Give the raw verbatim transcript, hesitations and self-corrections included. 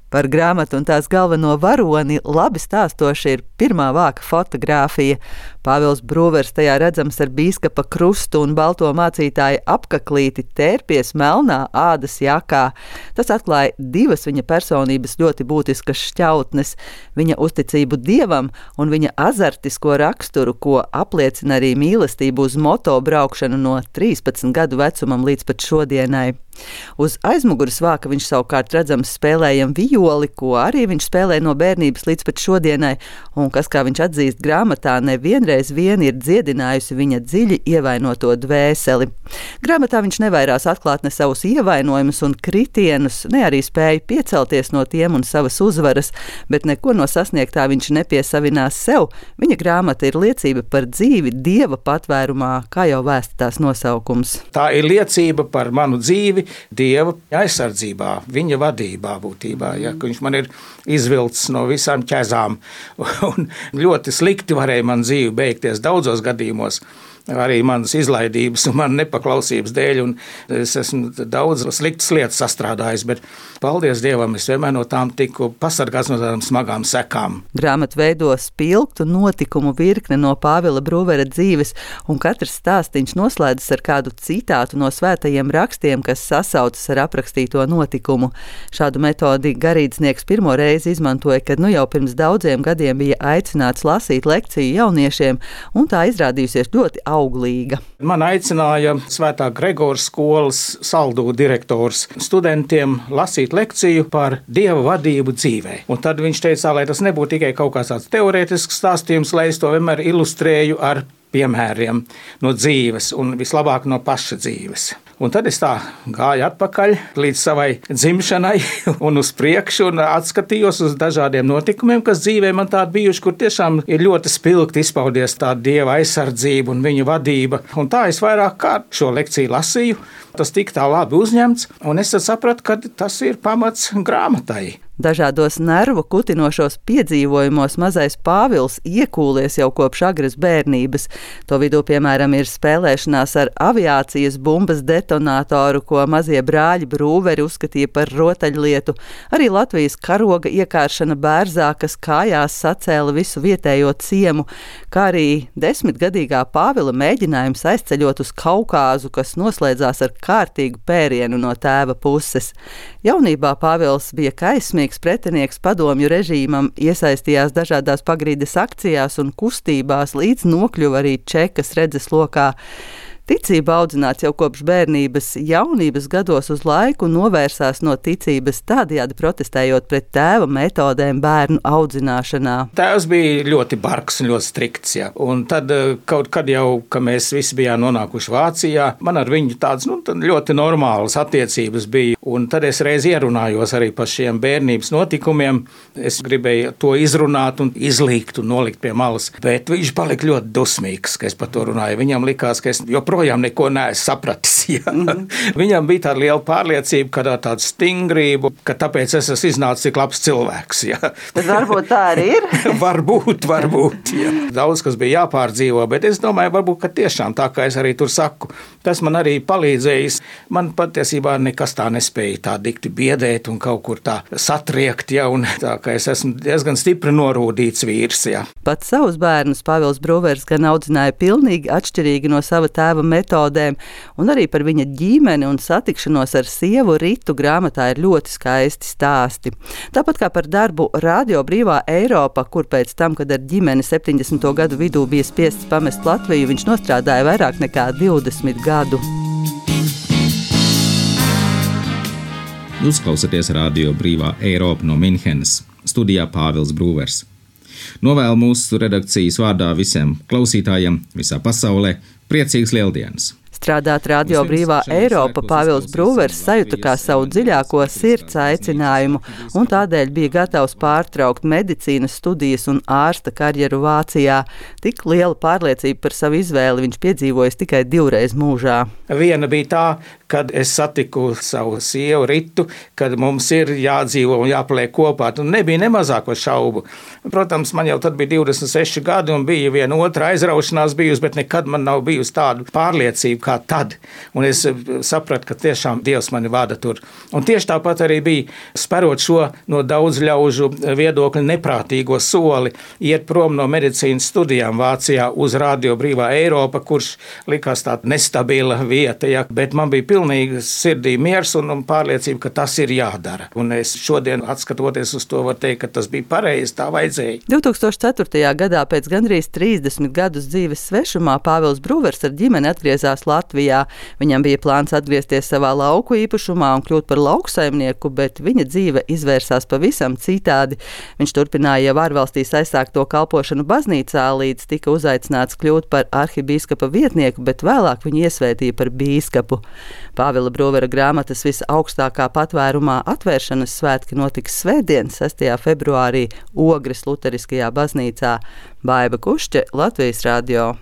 Par grāmatu un tās galveno varoni labi stāstoši ir pirmā vāka fotogrāfija. Pāvils Brūvers tajā redzams ar bīskapa krustu un balto mācītāja apkaklīti tērpies melnā ādas jakā. Tas atklāja divas viņa personības ļoti būtiskas šķautnes - viņa uzticību Dievam un viņa azartisko raksturu, ko apliecina arī mīlestību uz moto braukšanu no trīspadsmit gadu vecumam līdz pat šodienai. Uz aizmuguras vāka viņš savukārt redzams spēlējam violi, ko arī viņš spēlē no bērnības līdz pat šodienai, un kas, kā viņš atzīst grāmatā, nevienreiz vien ir dziedinājusi viņa dziļi ievainoto dvēseli. Grāmatā viņš nevairās atklāt ne savus ievainojumus un kritienus, ne arī spēja piecelties no tiem un savas uzvaras, bet neko no sasniegtā viņš nepiesavinās sev. Viņa grāmata ir liecība par dzīvi Dieva patvērumā, kā jau vēsta tās nosaukums. Tā ir liecība par manu dzīvi Dieva aizsardzībā, viņa vadībā būtībā. Ja, viņš man ir izvilcis no visām ķezām un ļoti slikti varēja man dzīvi beigties daudzos gadījumos. Arī manas izlaidības un manas nepaklausības dēļ, un es esmu daudz sliktas lietas sastrādājis, bet paldies Dievam, es vienmēr no tām tiku pasargāts no tādām smagām sekām. Grāmatu veido spilgtu notikumu virkne no Pāvila Brūvera dzīves, un katrs stāstiņš noslēdzas ar kādu citātu no svētajiem rakstiem, kas sasaucas ar aprakstīto notikumu. Šādu metodi garīdznieks pirmo reizi izmantoja, kad nu jau pirms daudziem gadiem bija aicināts lasīt lekciju jauniešiem, un tā izrādījusies ļoti auglīga. Man aicināja Svētā Gregora skolas Saldū direktors studentiem lasīt lekciju par Dieva vadību dzīvē. Un tad viņš teica, lai tas nebūtu tikai kaut kāds tāds teorētisks stāstījums, lai es to vienmēr ilustrēju ar piemēriem no dzīves un vislabāk no paša dzīves. Un tad es tā gāju atpakaļ līdz savai dzimšanai un uz priekšu un atskatījos uz dažādiem notikumiem, kas dzīvē man tādi bijuši, kur tiešām ir ļoti spilgti izpaudies tā Dieva aizsardzība un viņa vadība. Un tā es vairāk kārt šo lekciju lasīju, tas tika tā labi uzņemts, un es tad sapratu, ka tas ir pamats grāmatai. Dažādos nervu kutinošos piedzīvojumos mazais Pāvils iekūlies jau kopš agras bērnības. To vidū, piemēram, ir spēlēšanās ar aviācijas bumbas detonātoru, ko mazie brāļi Brūveri uzskatīja par rotaļlietu, arī Latvijas karoga iekāršana bērzā, kas kājās sacēla visu vietējo ciemu, kā arī desmitgadīgā Pāvila mēģinājums aizceļot uz Kaukāzu, kas noslēdzās ar kārtīgu pērienu no tēva puses. Jaunībā Pāvils bija kaismīgs pretinieks padomju režīmam, iesaistījās dažādās pagrīdes akcijās un kustībās, līdz nokļuva arī Čekas redzeslokā. Ticība audzināts jau kopš bērnības, jaunības gados uz laiku novērsās no ticības, tādējādi protestējot pret tēva metodēm bērnu audzināšanā. Tēvs bija ļoti bargs un ļoti strikts, ja. Un tad kaut kad jau, ka mēs visi bijām nonākuši Vācijā, man ar viņu tādas nu, ļoti normālas attiecības bija. Un tad es reiz ierunājos arī par šiem bērnības notikumiem. Es gribēju to izrunāt un izlīgt un nolikt pie malas, bet viņš palika ļoti dusmīgs, ka es par to runāju. Viņam likās, ka es joprojām projām neko neesmu sapratis. Ja. Mm-hmm. Viņam bija tāda liela pārliecība, ka tāda stingrība, ka tāpēc es esmu iznācis tik labs cilvēks. Ja. Bet varbūt tā arī ir. varbūt, varbūt. Ja. Daudz, kas bija jāpārdzīvo, bet es domāju, varbūt, ka tiešām tā, kā es arī tur saku, tas man arī palīdzējis. Man patiesībā nekas tā nespēja tā dikti biedēt un kaut kur tā satriekt, ja, un tā, ka es esmu diezgan stipri norūdīts vīrs. Ja. Pat savus bērnus Pāvils Brūvers gan audzināja pilnīgi atšķirīgi no sava tēva metodēm, un arī par viņa ģimeni un satikšanos ar sievu Ritu grāmatā ir ļoti skaisti stāsti. Tāpat kā par darbu Radio Brīvā Eiropa, kur pēc tam, kad ar ģimeni septiņdesmito gadu vidū bija spiests pamest Latviju, viņš nostrādāja vairāk nekā divdesmit gadu. Jūs klausāties Radio Brīvā Eiropa no Minhenes, studijā Pāvils Brūvers. Novēlu mūsu redakcijas vārdā visiem klausītājiem visā pasaulē priecīgas Lieldienas! Strādāt Radio Brīvā Eiropa Pāvils Brūvers sajuta kā savu dziļāko sirds aicinājumu un tādēļ bija gatavs pārtraukt medicīnas studijas un ārsta karjeru Vācijā. Tik liela pārliecība par savu izvēli viņš piedzīvojis tikai divreiz mūžā. Viena bija tā, kad es satiku savu sievu Ritu, kad mums ir jādzīvo un jāpaliek kopā. Un nebija nemazāko šaubu. Protams, man jau tad bija divdesmit seši gadi un bija viena otra aizraušanās bijusi, bet nekad man nav bijusi tāda pārliecība, kā tad. Un es sapratu, ka tiešām Dievs mani vada tur. Un tieši tāpat arī bija sperot šo no daudz ļaužu viedokļu neprātīgo soli, iet prom no medicīnas studijām Vācijā uz Radio Brīvā Eiropa, kurš likās tāda nestabila vieta, ja, bet man bija pilnīgi sirdī miers un, un pārliecība, ka tas ir jādara. Un es šodien, atskatoties uz to, varu teikt, ka tas bija pareizi, tā vajadzēja. divi tūkstoši ceturtajā gadā pēc gandrīz trīsdesmit gadus dzīves svešumā Pāvils Brūvers ar ģimeni atgriezās Latvijā. Viņam bija plāns atgriezties savā lauku īpašumā un kļūt par lauksaimnieku, bet viņa dzīve izvērsās pavisam citādi. Viņš turpināja jau ārvalstīs aizsākto kalpošanu baznīcā, līdz tika uzaicināts kļūt par arhibīskapa vietnieku, bet vēlāk viņu iesvētīja par bīskapu. Pāvila Brūvera grāmatas visaugstākā patvērumā atvēršanas svētki notiks svētdien, sestajā februārī Ogres Luteriskajā baznīcā. Baiba Kušķe, Latvijas radio.